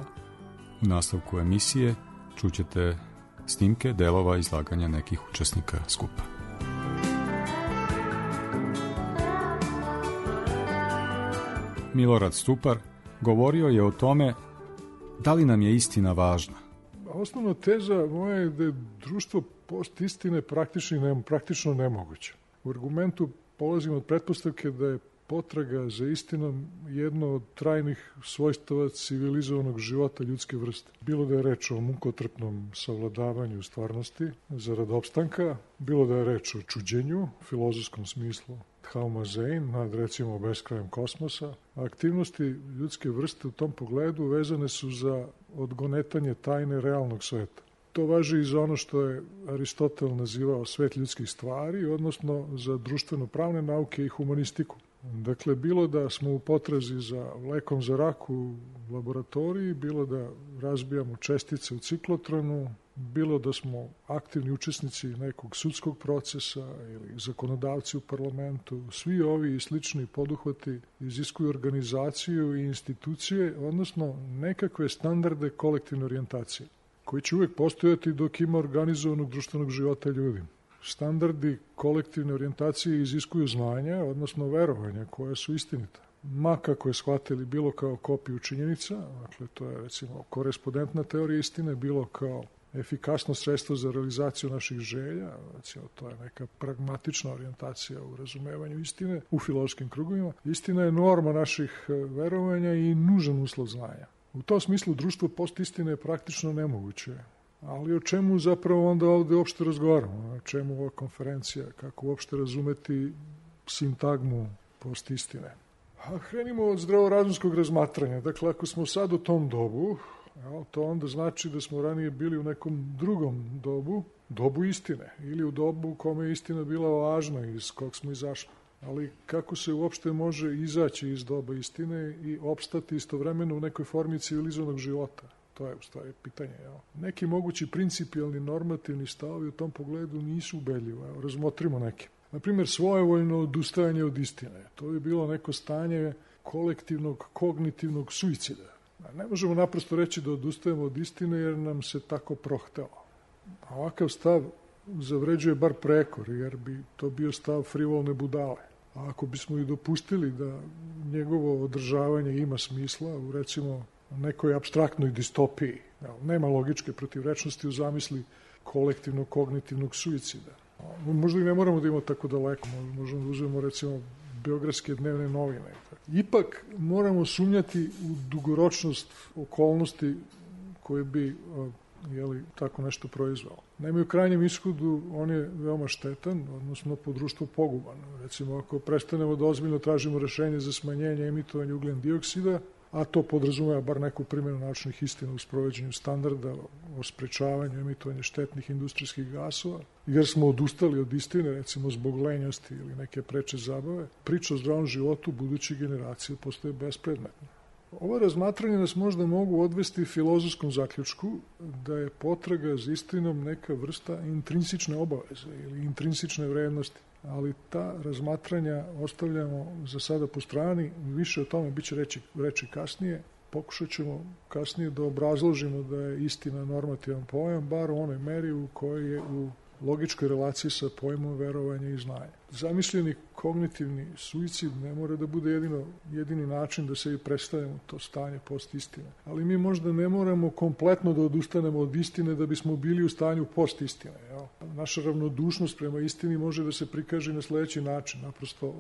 U nastavku emisije čućete snimke delova izlaganja nekih učesnika skupa. Milorad Stupar govorio je o tome da li nam je istina važna. Osnovna teza moja je da je društvo post istine praktično nemoguće. U argumentu polazimo od pretpostavke da je potraga za istinom jedno od trajnih svojstava civilizovanog života ljudske vrste. Bilo da je reč o mukotrpnom savladavanju stvarnosti zarad opstanka, bilo da je reč o čuđenju, filozofskom smislu Thalmazein, nad recimo beskrajem kosmosa. Aktivnosti ljudske vrste u tom pogledu vezane su za odgonetanje tajne realnog sveta. To važi i za ono što je Aristotel nazivao svet ljudskih stvari, odnosno za društveno-pravne nauke i humanistiku. Dakle, bilo da smo u potrazi za lekom za rak u laboratoriji, bilo da razbijamo čestice u ciklotronu, bilo da smo aktivni učesnici nekog sudskog procesa ili zakonodavci u parlamentu, svi ovi i slični poduhvati iziskuju organizaciju i institucije, odnosno nekakve standarde kolektivne orijentacije, koji će uvek postojati dok ima organizovanog društvenog života ljudi. Standardi kolektivne orijentacije iziskuju znanja, odnosno verovanja koja su istinita. Ma kako je shvatili bilo kao kopiju činjenica, dakle to je recimo korespondentna teorija istine, bilo kao efikasno sredstvo za realizaciju naših želja, recimo to je neka pragmatična orijentacija u razumevanju istine u filozofskim krugovima. Istina je norma naših verovanja i nužan uslov znanja. U tom smislu društvo post istine je praktično nemoguće. Ali o čemu zapravo onda ovde uopšte razgovaramo? O čemu ova konferencija? Kako uopšte razumeti sintagmu post istine? Krenimo od zdravorazumskog razmatranja. Dakle, ako smo sad u tom dobu, to onda znači da smo ranije bili u nekom drugom dobu istine, ili u dobu u kome je istina bila važna, iz kog smo izašli. Ali kako se uopšte može izaći iz doba istine i opstati istovremeno u nekoj formi civilizovanog života? To je u stvari pitanje. Neki mogući principijalni normativni stavovi u tom pogledu nisu ubedljivi. Razmotrimo neke. Naprimjer, svojevoljno odustajanje od istine. To bi bilo neko stanje kolektivnog kognitivnog suicida. Ne možemo naprosto reći da odustajemo od istine jer nam se tako prohtelo. A ovakav stav zavređuje bar prekor, jer bi to bio stav frivolne budale. A ako bismo i dopustili da njegovo održavanje ima smisla u, recimo, nekoj apstraktnoj distopiji, nema logičke protivrečnosti u zamisli kolektivnog kognitivnog suicida. Možda i ne moramo da imamo tako daleko, možemo da uzmemo, recimo, beogradske dnevne novine. Ipak moramo sumnjati u dugoročnost okolnosti koje bi tako nešto proizvalo. Naime, u krajnjem ishodu on je veoma štetan, odnosno po društvu poguban. Recimo, ako prestanemo da ozbiljno tražimo rešenje za smanjenje emitovanja ugljen dioksida, a to podrazumeva bar neku primjenu naučnih istina u sprovođenju standarda o sprečavanju emitovanja štetnih industrijskih gasova, jer smo odustali od istine, recimo zbog lenjosti ili neke preče zabave, priča o zdravom životu budućih generacija postaje bespredmetna. Ova razmatranja nas možda mogu odvesti filozofskom zaključku da je potraga za istinom neka vrsta intrinsične obaveze ili intrinsične vrednosti, ali ta razmatranja ostavljamo za sada po strani, više o tome biće reći kasnije. Pokušat ćemo kasnije da obrazložimo da je istina normativan pojam, bar u onoj meri u kojoj je u logičkoj relaciji sa pojmom verovanja i znanja. Zamišljeni kognitivni suicid ne mora da bude jedini način da se i predstavimo to stanje post istine. Ali mi možda ne moramo kompletno da odustanemo od istine da bismo bili u stanju post istine. Naša ravnodušnost prema istini može da se prikaže na sledeći način, naprosto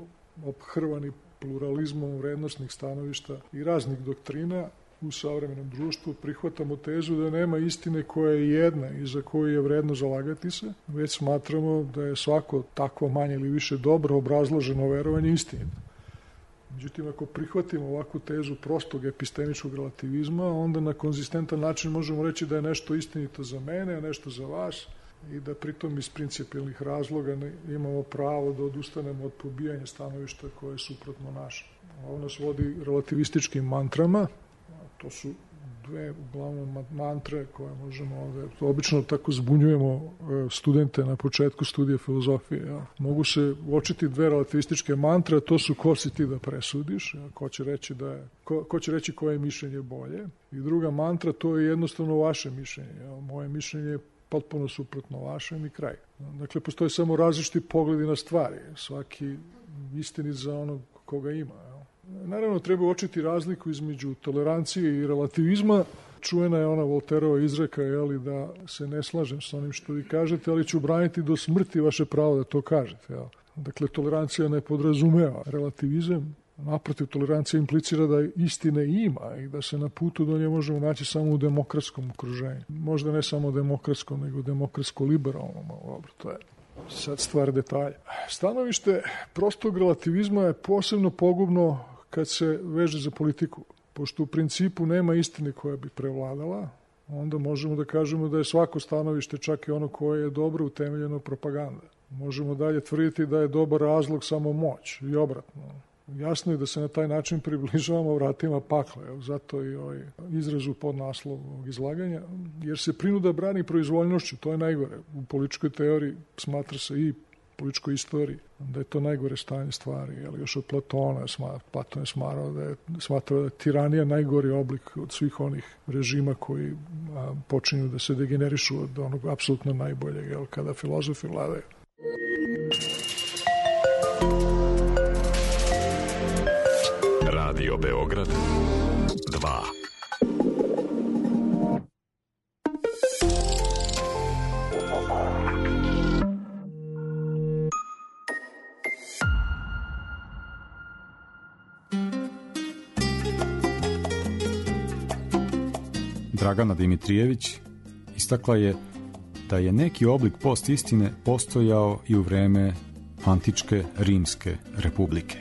ophrvani pluralizmom vrednostnih stanovišta i raznih doktrina. U savremenom društvu prihvatamo tezu da nema istine koja je jedna i za koju je vredno zalagati se, već smatramo da je svako takvo manje ili više dobro obrazloženo verovanje istinito. Međutim, ako prihvatimo ovakvu tezu prostog epistemičkog relativizma, onda na konzistentan način možemo reći da je nešto istinito za mene, a nešto za vas, i da pritom iz principijelnih razloga imamo pravo da odustanemo od pobijanja stanovišta koje je suprotno naše. Ovo nas vodi relativističkim mantrama. To su dve uglavnom mantre koje možemo ovde, obično tako zbunjujemo studente na početku studija filozofije. Mogu se uočiti dve relativističke mantre, to su ko si ti da presudiš, ko će reći koje mišljenje bolje. I druga mantra, to je jednostavno vaše mišljenje. Moje mišljenje je potpuno suprotno vašem i kraj. Dakle, postoje samo različiti pogledi na stvari. Svaki istinit za onog koga ima. Naravno, treba uočiti razliku između tolerancije i relativizma. Čuvena je ona Volterova izreka, da se ne slažem sa onim što vi kažete, ali ću braniti do smrti vaše pravo da to kažete. Dakle, tolerancija ne podrazumeva relativizam. Naprotiv, tolerancija implicira da istine ima i da se na putu do nje možemo naći samo u demokratskom okruženju. Možda ne samo demokratskom, nego demokratsko-liberalnom. To je sad stvar detalja. Stanovište prostog relativizma je posebno pogubno kad se veže za politiku. Pošto u principu nema istine koja bi prevladala, onda možemo da kažemo da je svako stanovište, čak i ono koje je dobro utemeljeno, propaganda. Možemo dalje tvrditi da je dobar razlog samo moć i obratno. Jasno je da se na taj način približavamo vratima pakla, zato i ovaj izraz u podnaslov ovog izlaganja, jer se prinuda brani proizvoljnošću, to je najgore. U političkoj teoriji smatra se i političkoj istoriji da je to najgore stanje stvari, još od Platona. Platon je smatrao da je tiranija najgori oblik od svih onih režima koji počinju da se degenerišu od onog apsolutno najboljeg, kada filozofi vladaju. Radio Beograd 2. Dragana Dimitrijević istakla je da je neki oblik postistine postojao i u vreme antičke Rimske republike.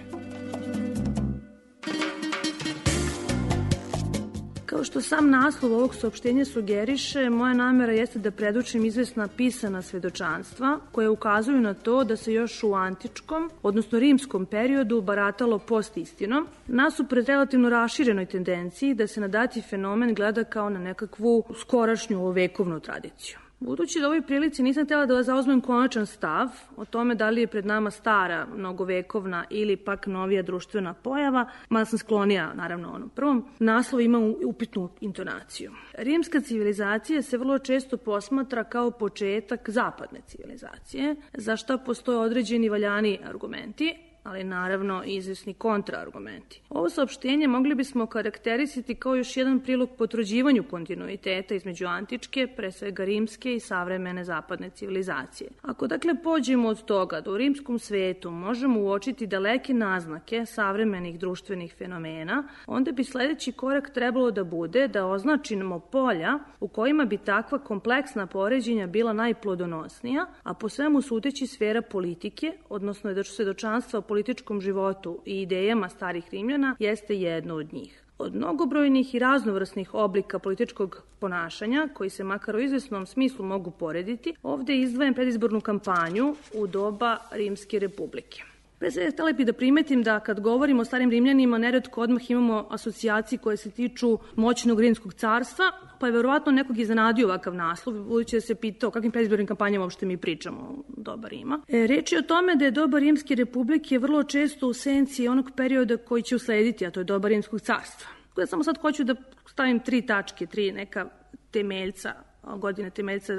što sam naslov ovog saopštenja sugeriše, moja namera jeste da predočim izvesna pisana svedočanstva koje ukazuju na to da se još u antičkom, odnosno rimskom periodu baratalo post-istinom, nasuprot relativno raširenoj tendenciji da se na dati fenomen gleda kao na nekakvu skorašnju vekovnu tradiciju. Budući da u ovoj prilici nisam htjela da vas zauzmem konačan stav o tome da li je pred nama stara, mnogovekovna ili pak novija društvena pojava, mada sam sklonija, naravno, onom prvom, naslov ima upitnu intonaciju. Rimska civilizacija se vrlo često posmatra kao početak zapadne civilizacije, za što postoje određeni valjani argumenti, ali naravno i izvesni kontraargumenti. Ovo saopštenje mogli bismo karakterisati kao još jedan prilog potvrđivanju kontinuiteta između antičke, pre svega rimske i savremene zapadne civilizacije. Ako dakle pođemo od toga da u rimskom svetu možemo uočiti daleke naznake savremenih društvenih fenomena, onda bi sledeći korak trebalo da bude da označimo polja u kojima bi takva kompleksna poređenja bila najplodonosnija, a po svemu sudeći sfera politike, odnosno da svedočanstva o političkom životu i idejama starih Rimljana jeste jedno od njih. Od mnogobrojnih i raznovrsnih oblika političkog ponašanja, koji se makar u izvesnom smislu mogu porediti, ovde izdvajam predizbornu kampanju u doba Rimske republike. Pre svega htjela bih da primetim da kad govorimo o starim Rimljanima, neretko odmah imamo asocijacije koje se tiču moćnog rimskog carstva, pa je verovatno nekog iznenadio ovakav naslov, budući da se pitao o kakvim predizbornim kampanjama uopšte mi pričamo o doba Rima. Reč je o tome da je doba Rimske republike vrlo često u senci onog perioda koji će uslediti, a to je doba Rimskog carstva. Ja samo sad hoću da stavim 3 tačke, 3 neka temeljca, godine temeljca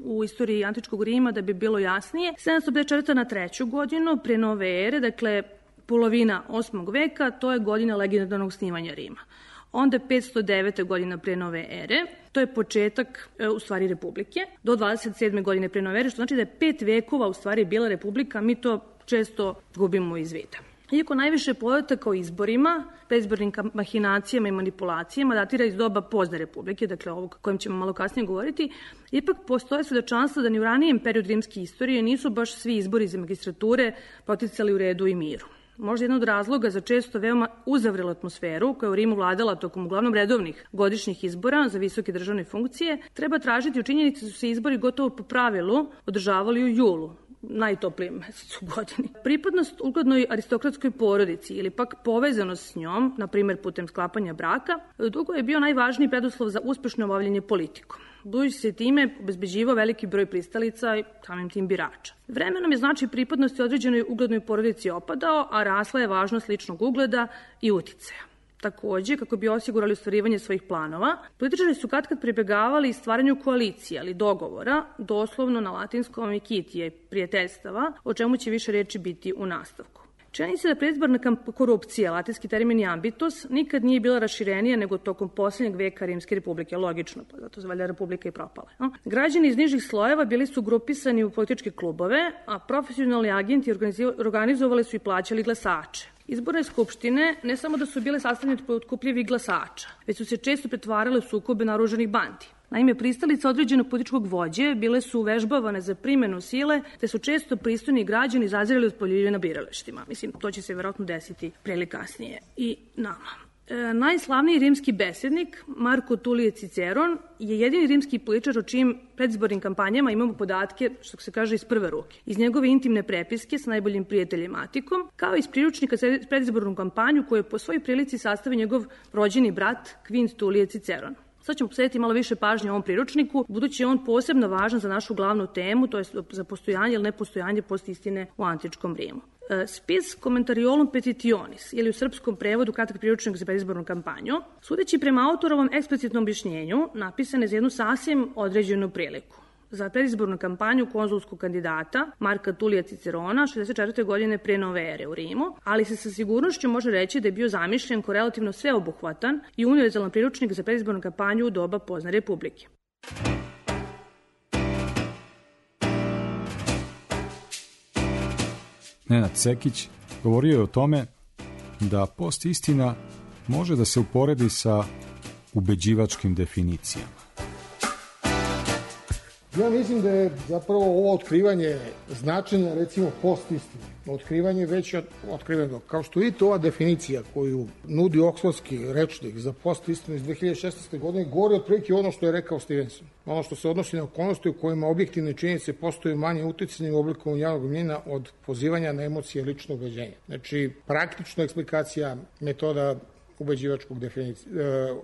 u istoriji antičkog Rima, da bi bilo jasnije. 754. na 3. godinu pre nove ere, dakle polovina 8. veka, to je godina legendarnog snimanja Rima. Onda 509. godina pre nove ere, to je početak u stvari republike, do 27. godine pre nove ere, što znači da je 5 vekova u stvari bila republika, mi to često gubimo iz vida. Iako najviše podataka o izborima, predizbornim mahinacijama i manipulacijama datira iz doba pozne republike, dakle ovog kojem ćemo malo kasnije govoriti, ipak postoje svedočanstva da ni u ranijem periodu rimske istorije nisu baš svi izbori za magistrature proticali u redu i miru. Možda jedan od razloga za često veoma uzavrelu atmosferu koja u Rimu vladala tokom uglavnom redovnih godišnjih izbora za visoke državne funkcije, treba tražiti u činjenici da su se izbori gotovo po pravilu održavali u julu, najtoplijem mesecu u godini. Pripadnost uglednoj aristokratskoj porodici ili pak povezanost s njom, na primjer putem sklapanja braka, dugo je bio najvažniji preduslov za uspešno obavljanje politikom. Budući se time obezbeđivao veliki broj pristalica i samim tim birača. Vremenom je značaj pripadnosti određenoj uglednoj porodici opadao, a rasla je važnost ličnog ugleda i uticaja. Takođe, kako bi osigurali ostvarivanje svojih planova, političari su katkad pribegavali stvaranju koalicije, ali dogovora, doslovno na latinskom ikitije, prijateljstava, o čemu će više reči biti u nastavku. Čini se da predizborna korupcija, latinski termin ambitus, nikad nije bila raširenija nego tokom posljednjeg veka Rimske republike, logično, pa zato se valjda republika i propala. Građani iz nižih slojeva bili su grupisani u političke klubove, a profesionalni agenti organizovali su i plaćali glasače. Izborne skupštine ne samo da su bile sastavljene od potkupljivih glasača, već su se često pretvarale u sukobe naoružanih bandi. Naime, pristalice određenog političkog vođe bile su uvežbavane za primenu sile, te su često pristojni građani zazirali od poljulje na biralištima. Mislim, to će se verovatno desiti pre ili kasnije i nama. Najslavniji rimski besednik, Marko Tulije Ciceron, je jedini rimski političar o čijim predizbornim kampanjama imamo podatke, što se kaže, iz prve ruke. Iz njegove intimne prepiske sa najboljim prijateljem Atikom, kao i iz priručnika za predizbornu kampanju koju je po svojoj prilici sastavio njegov rođeni brat Kvint Tulije Ciceron. Sad ćemo posvetiti malo više pažnje ovom priručniku, budući je on posebno važan za našu glavnu temu, to je za postojanje ili nepostojanje postistine u antičkom Rimu. Spis Commentariolum Petitionis, ili u srpskom prevodu kratak priručnik za predizbornu kampanju, sudeći prema autorovom eksplicitnom objašnjenju, napisan je za jednu sasvim određenu priliku. Za predizbornu kampanju konzulskog kandidata Marka Tulija Cicerona 64. godine pre nove ere u Rimu, ali se sa sigurnošću može reći da je bio zamišljen kao relativno sveobuhvatan i univerzalan priručnik za predizbornu kampanju u doba pozne republike. Nenad Sekić govorio je o tome da post-istina može da se uporedi sa ubeđivačkim definicijama. Ja mislim da je zapravo ovo otkrivanje značenja, recimo, post-istine otkrivanje, već otkriveno. Kao što vidite, ova definicija koju nudi Oksfordski rečnik za postistinu iz 2016. godine govori otprilike ono što je rekao Stevenson. Ono što se odnosi na okolnosti u kojima objektivne činjenice postaju manje uticanje u oblikovanju javnog mnjenja od pozivanja na emocije ličnog ubeđenja. Znači, praktična eksplikacija metoda ubeđivačkog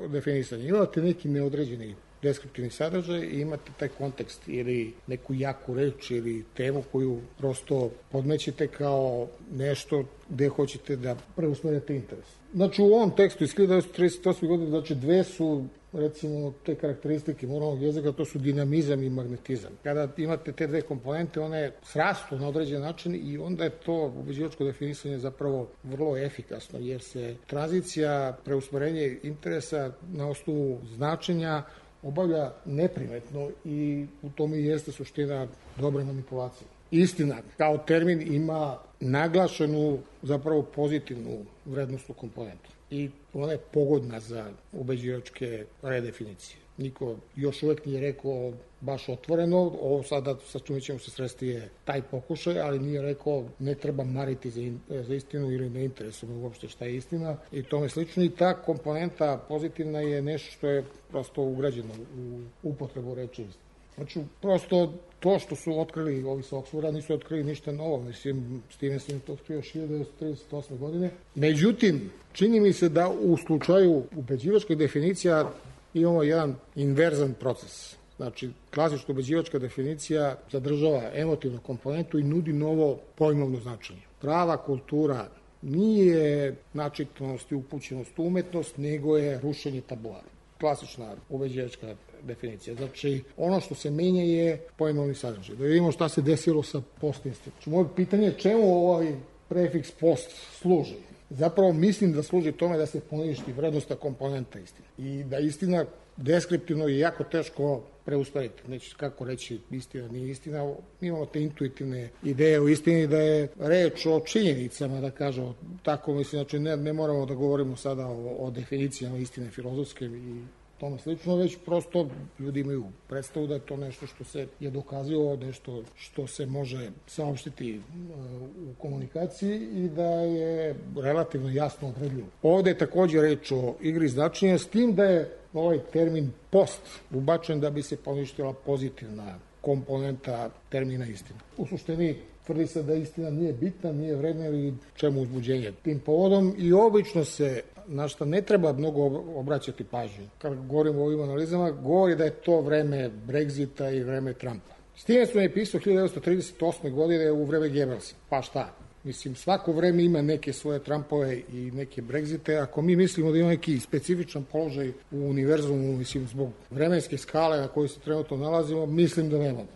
definisanja. Imate neki neodređeni deskriptivni sadržaj i imate taj kontekst ili neku jaku reč ili temu koju prosto podmećete kao nešto gde hoćete da preusmerite interes. Znači, u ovom tekstu iz 1938. godine, znači, dve su, recimo, te karakteristike moralnog jezika, to su dinamizam i magnetizam. Kada imate te dve komponente, one srastu na određen način i onda je to ubeđivačko definisanje zapravo vrlo efikasno, jer se tranzicija, preusmerenje interesa na osnovu značenja obavlja neprimetno i u tome i jeste suština dobre manipulacije. Istina, kao termin ima naglašenu, zapravo pozitivnu vrednostnu komponentu i ona je pogodna za ubeđivačke redefinicije. Niko još uvek nije rekao baš otvoreno, ovo sada sa čime ćemo se sresti je taj pokušaj, ali nije rekao ne treba mariti za istinu ili ne interesuje uopšte šta je istina i tome slično. I ta komponenta pozitivna je nešto što je prosto ugrađeno u upotrebu reči istina. Znači, prosto to što su otkrili ovi sa Oksforda nisu otkrili ništa novo. Mislim, Stevenson je to otkrio 1938. godine. Međutim, čini mi se da u slučaju ubeđivačkih definicija imamo jedan inverzan proces. Znači, klasična ubeđivačka definicija zadržava emotivnu komponentu i nudi novo pojmovno značenje. Prava kultura nije načitnost i upućenost u umetnost, nego je rušenje tabua. Klasična ubeđivačka definicija. Znači, ono što se menja je pojmovni sadržaj. Da vidimo šta se desilo sa post-istinom. Znači, moje pitanje je čemu ovaj prefiks post služi? Zapravo mislim da služi tome da se poništi vrednostna komponenta istine. I da istina deskriptivno je jako teško preusmeriti. Neće kako reći istina, nije istina. Mi imamo te intuitivne ideje o istini da je reč o činjenicama, da kažemo tako. Mislim, znači ne moramo da govorimo sada o definicijama istine filozofske i tome slično, već prosto ljudi imaju predstavu da je to nešto što se je dokazilo, nešto što se može saopštiti u komunikaciji i da je relativno jasno odredljivo. Ovde je takođe reč o igri značenja, s tim da je ovaj termin post ubačen da bi se poništila pozitivna komponenta termina istina. U suštini tvrdi se da istina nije bitna, nije vredna ili čemu uzbuđenje tim povodom i obično se na što ne treba mnogo obraćati pažnju. Kad govorimo o ovim analizama, govori da je to vreme Brexita i vreme Trumpa. Stevenson je pisao 1938. godine u vreme Goebbelsa. Pa šta? Mislim, svako vreme ima neke svoje Trumpove i neke Brexite. Ako mi mislimo da ima neki specifičan položaj u univerzumu, mislim, zbog vremenske skale na kojoj se trenutno nalazimo, mislim da nemamo.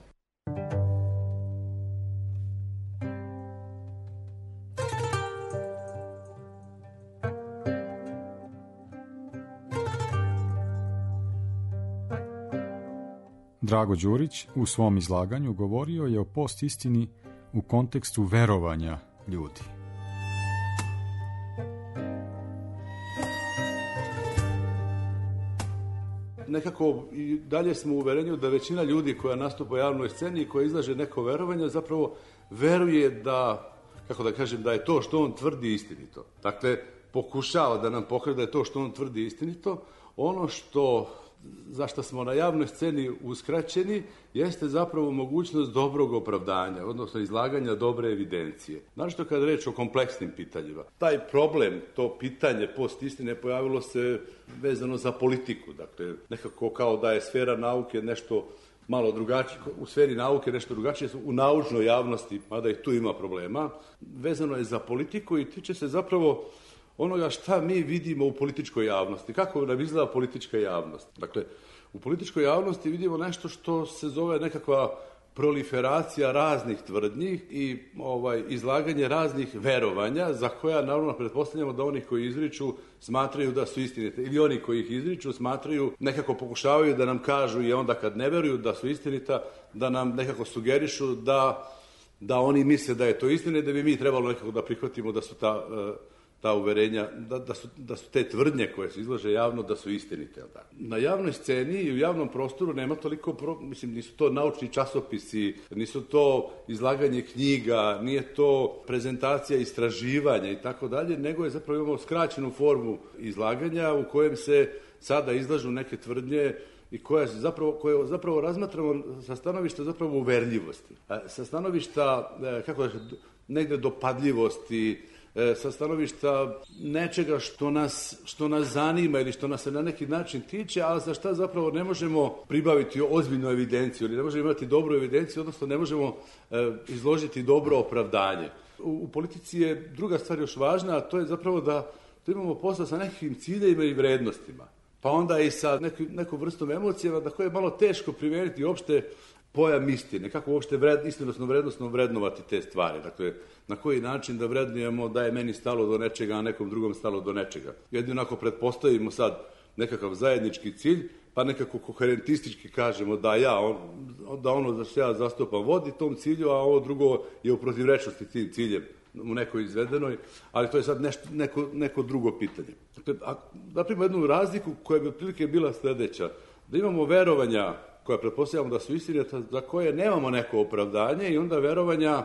Drago Đurić u svom izlaganju govorio je o postistini u kontekstu verovanja ljudi. Nekako i dalje smo u uverenju da većina ljudi koja nastupa u javnoj sceni i koja izlaže neko verovanje zapravo veruje da, kako da kažem, da je to što on tvrdi istinito. Dakle, pokušava da nam pokaže da je to što on tvrdi istinito. Ono za što smo na javnoj sceni uskraćeni jeste zapravo mogućnost dobrog opravdanja, odnosno izlaganja dobre evidencije. Našto kad reč o kompleksnim pitanjima. Taj problem, to pitanje post-istine pojavilo se vezano za politiku. Dakle, nekako kao da je sfera nauke nešto malo drugačije, u sferi nauke nešto drugačije, u naučnoj javnosti, mada i tu ima problema, vezano je za politiku i tiče se zapravo onoga šta mi vidimo u političkoj javnosti. Kako nam izgleda politička javnost? Dakle, u političkoj javnosti vidimo nešto što se zove nekakva proliferacija raznih tvrdnji i izlaganje raznih verovanja za koja naravno pretpostavljamo da oni koji izriču smatraju da su istinite ili oni koji ih izriču smatraju, nekako pokušavaju da nam kažu i onda kad ne veruju da su istinita, da nam nekako sugerišu da oni misle da je to istina i da bi mi trebalo nekako da prihvatimo da su ta uverenja, da su te tvrdnje koje se izlaže javno, da su istinite. Na javnoj sceni i u javnom prostoru nema toliko, nisu to naučni časopisi, nisu to izlaganje knjiga, nije to prezentacija istraživanja i tako dalje, nego je zapravo imamo skraćenu formu izlaganja u kojem se sada izlažu neke tvrdnje i koje zapravo razmatramo sa stanovišta zapravo uverljivosti, sa stanovišta, negde dopadljivosti, sa stanovišta nečega što nas zanima ili što nas se na neki način tiče, ali za šta zapravo ne možemo pribaviti ozbiljnu evidenciju ili ne možemo imati dobru evidenciju, odnosno ne možemo izložiti dobro opravdanje. U politici je druga stvar još važna, a to je zapravo da imamo posla sa nekim ciljevima i vrednostima, pa onda i sa nekom vrstom emocijama da koje je malo teško primeniti uopšte pojam istine, kako uopšte vrednostno vrednovati te stvari. Dakle, na koji način da vrednujemo da je meni stalo do nečega, a nekom drugom stalo do nečega. Jedino ako pretpostavimo sad nekakav zajednički cilj, pa nekako koherentistički kažemo da ono što ja zastupam vodi tom cilju, a ovo drugo je u protivrečnosti tim ciljem u nekoj izvedenoj, ali to je sad neko drugo pitanje. Dakle, da primamo jednu razliku koja bi otprilike bila sledeća, da imamo verovanja koja pretpostavljamo da su istinita, za koje nemamo neko opravdanje, i onda verovanja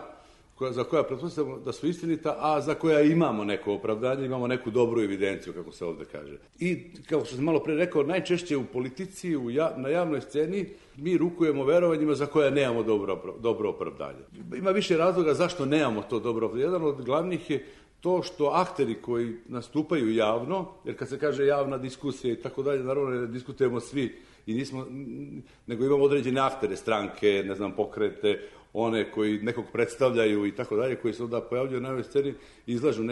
za koja pretpostavljamo da su istinita, a za koja imamo neko opravdanje, imamo neku dobru evidenciju, kako se ovde kaže. I, kao što sam malo pre rekao, najčešće u politici, na javnoj sceni, mi rukujemo verovanjima za koja nemamo dobro opravdanje. Ima više razloga zašto nemamo to dobro opravdanje. Jedan od glavnih je to što akteri koji nastupaju javno, jer kad se kaže javna diskusija i tako dalje, naravno ne diskutujemo svi, nego imamo određene aktere, stranke, pokrete, one koji nekog predstavljaju i tako dalje, koji se onda pojavljaju na ovoj sceni i izlažu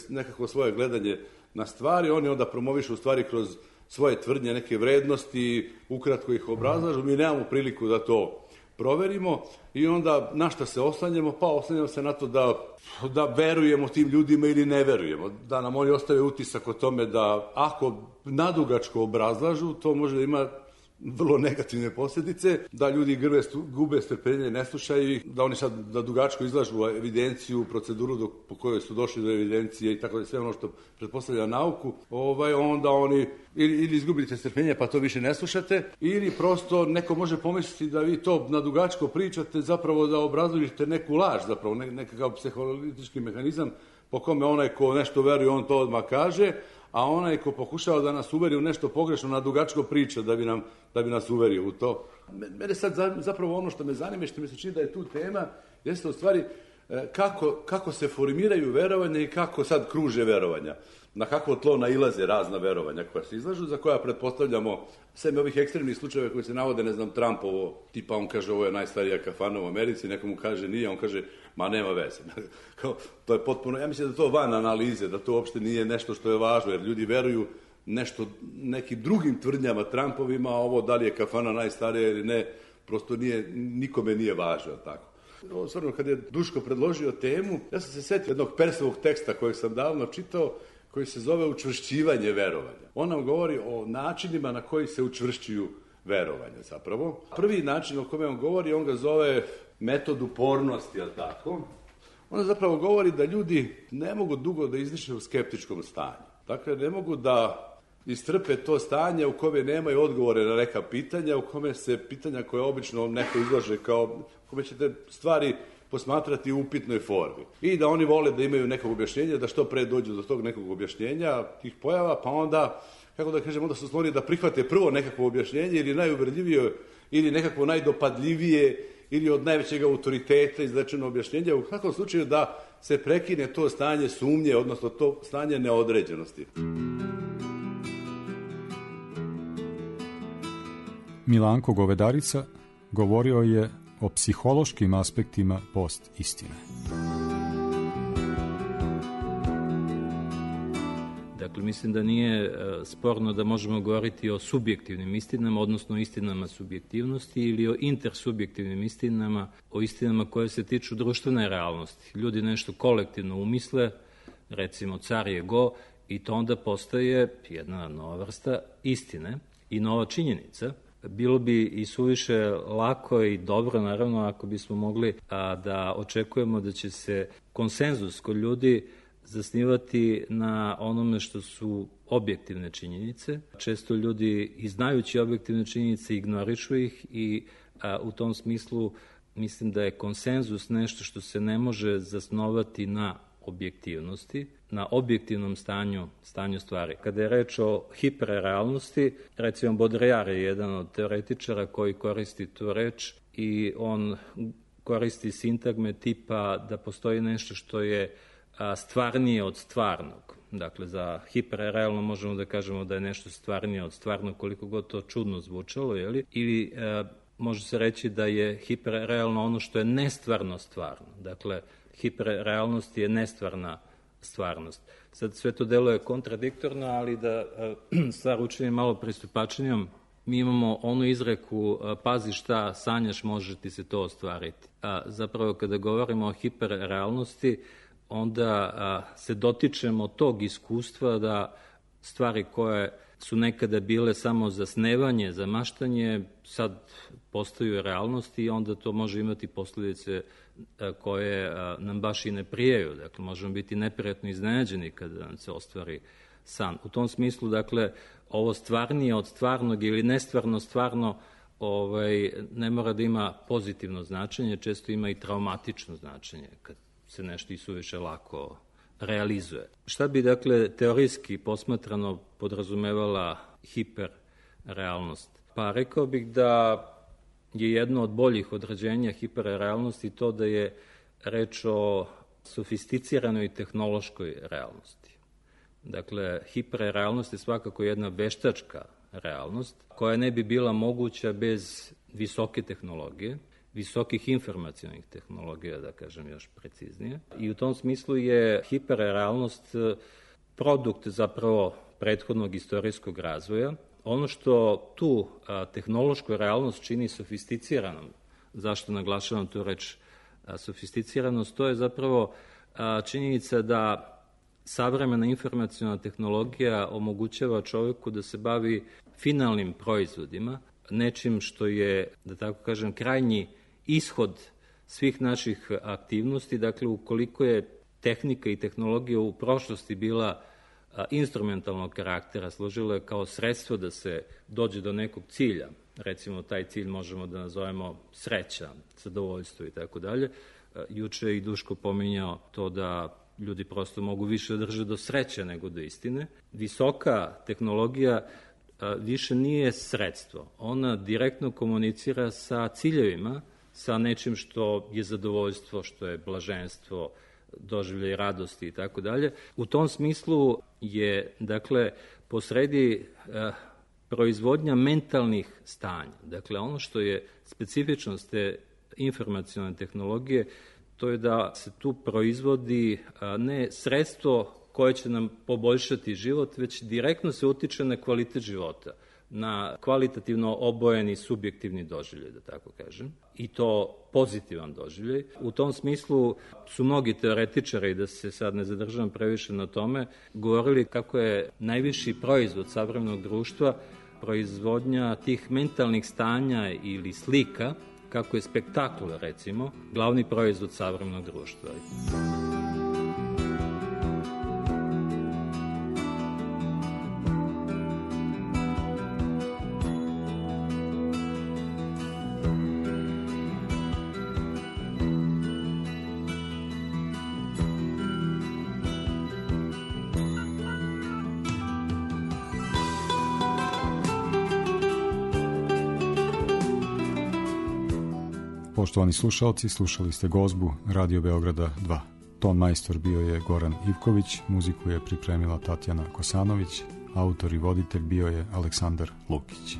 nekakvo svoje gledanje na stvari, oni onda promovišu u stvari kroz svoje tvrdnje, neke vrednosti, ukratko ih obrazlažu, mi nemamo priliku da to proverimo i onda na šta se oslanjamo? Pa oslanjamo se na to da verujemo tim ljudima ili ne verujemo, da nam oni ostave utisak o tome da ako nadugačko obrazlažu, to može da ima vrlo negativne posljedice, da ljudi gube strpljenje, ne slušaju ih, da oni sad da dugačko izlažu evidenciju, proceduru po kojoj su došli do evidencije i tako da sve ono što pretpostavlja nauku, onda oni ili izgubite strpljenje pa to više ne slušate, ili prosto neko može pomisliti da vi to na dugačko pričate, zapravo da obrazložite neku laž, zapravo nekakav psiholitički mehanizam po kome onaj ko nešto veruje, on to odmah kaže, a onaj ko pokušava da nas uveri u nešto pogrešno, na dugačko priča da bi nas uverio u to. Mene sad zapravo ono što me zanima i što mi se čini da je tu tema, jeste u stvari kako se formiraju verovanja i kako sad kruže verovanja. Na kakvo tlo nailaze razna verovanja koja se izlažu, za koja pretpostavljamo, sem ovih ekstremnih slučajeva koji se navode, Trumpovo, tipa on kaže ovo je najstarija kafana u Americi, nekomu kaže nije, on kaže ma nema veze. To je potpuno, ja mislim da to van analize, da to uopšte nije nešto što je važno, jer ljudi veruju nekim drugim tvrdnjama Trumpovima, a ovo da li je kafana najstarija ili ne, prosto nikome nije važno, tako. Stvarno, kad je Duško predložio temu, ja sam se setio jednog Persovog teksta kojeg sam davno čitao, koji se zove učvršćivanje verovanja. On nam govori o načinima na koji se učvršćuju verovanja, zapravo. Prvi način o kome on govori, on ga zove metod upornosti, jel tako? On zapravo govori da ljudi ne mogu dugo da izdišu u skeptičkom stanju. Dakle, ne mogu da istrpe to stanje u kome nemaju odgovore na neka pitanja, u kome se pitanja koje obično neko izlaže kao, u kome ćete stvari posmatrati u upitnoj formi. I da oni vole da imaju nekog objašnjenja, da što pre dođu do tog nekog objašnjenja, tih pojava, pa onda, kako da kažem, onda su skloni da prihvate prvo nekakvo objašnjenje ili najuvredljivije, ili nekakvo najdopadljivije, ili od najvećeg autoriteta izrečeno objašnjenje, u kakvom slučaju da se prekine to stanje sumnje, odnosno to stanje neodređenosti. Milanko Govedarica govorio je o psihološkim aspektima post-istine. Dakle, mislim da nije sporno da možemo govoriti o subjektivnim istinama, odnosno istinama subjektivnosti ili o intersubjektivnim istinama, o istinama koje se tiču društvene realnosti. Ljudi nešto kolektivno umisle, recimo car je go, i to onda postaje jedna nova vrsta istine i nova činjenica. Bilo bi i suviše lako i dobro, naravno, ako bismo mogli da očekujemo da će se konsenzus kod ljudi zasnivati na onome što su objektivne činjenice. Često ljudi, i znajući objektivne činjenice, ignorišu ih i u tom smislu mislim da je konsenzus nešto što se ne može zasnovati na objektivnosti, na objektivnom stanju stvari. Kada je reč o hiperrealnosti, recimo Baudrillard je jedan od teoretičara koji koristi tu reč i on koristi sintagme tipa da postoji nešto što je stvarnije od stvarnog. Dakle, za hiperrealno možemo da kažemo da je nešto stvarnije od stvarnog, koliko god to čudno zvučalo, ili može se reći da je hiperrealno ono što je nestvarno stvarno. Dakle, hiperrealnost je nestvarna stvarnost. Sad sve to deluje kontradiktorno, ali da stvar učinim malo pristupačnijom, mi imamo onu izreku pazi šta sanjaš, može ti se to ostvariti. Zapravo kada govorimo o hiperrealnosti, onda se dotičemo tog iskustva da stvari koje su nekada bile samo za snevanje, za maštanje, sad postaju realnosti i onda to može imati posljedice koje nam baš i ne prijaju. Dakle, možemo biti neprijatno iznenađeni kada nam se ostvari san. U tom smislu, dakle, ovo stvarnije od stvarnog ili nestvarno stvarno ne mora da ima pozitivno značenje, često ima i traumatično značenje kad se nešto i suviše lako realizuje. Šta bi, dakle, teorijski posmatrano podrazumevala hiperrealnost? Pa rekao bih da je jedno od boljih određenja hiperrealnosti to da je reč o sofisticiranoj tehnološkoj realnosti. Dakle, hiperrealnost je svakako jedna veštačka realnost koja ne bi bila moguća bez visoke tehnologije, visokih informacionih tehnologija, da kažem još preciznije. I u tom smislu je hiperrealnost produkt zapravo prethodnog istorijskog razvoja. Ono što tu tehnološku realnost čini sofisticiranom, zašto naglašavam tu reč sofisticiranost, to je zapravo činjenica da savremena informaciona tehnologija omogućava čovjeku da se bavi finalnim proizvodima, nečim što je, da tako kažem, krajnji ishod svih naših aktivnosti. Dakle, ukoliko je tehnika i tehnologija u prošlosti bila instrumentalnog karaktera, služilo je kao sredstvo da se dođe do nekog cilja. Recimo, taj cilj možemo da nazovemo sreća, zadovoljstvo i tako dalje. Juče je i Duško pominjao to da ljudi prosto mogu više drže do sreće nego do istine. Visoka tehnologija više nije sredstvo. Ona direktno komunicira sa ciljevima, sa nečim što je zadovoljstvo, što je blaženstvo, doživljaj radosti i tako dalje. U tom smislu je, dakle, posredi proizvodnja mentalnih stanja. Dakle, ono što je specifičnost te informacione tehnologije, to je da se tu proizvodi ne sredstvo koje će nam poboljšati život, već direktno se utiče na kvalitet života, na kvalitativno obojeni subjektivni doživljaj, da tako kažem, i to pozitivan doživljaj. U tom smislu su mnogi teoretičari, da se sad ne zadržavam previše na tome, govorili kako je najviši proizvod savremenog društva proizvodnja tih mentalnih stanja ili slika, kako je spektakl, recimo, glavni proizvod savremenog društva. Poštovani slušalci, slušali ste gozbu Radio Beograda 2. Ton majstor bio je Goran Ivković, muziku je pripremila Tatjana Kosanović, autor i voditelj bio je Aleksandar Lukić.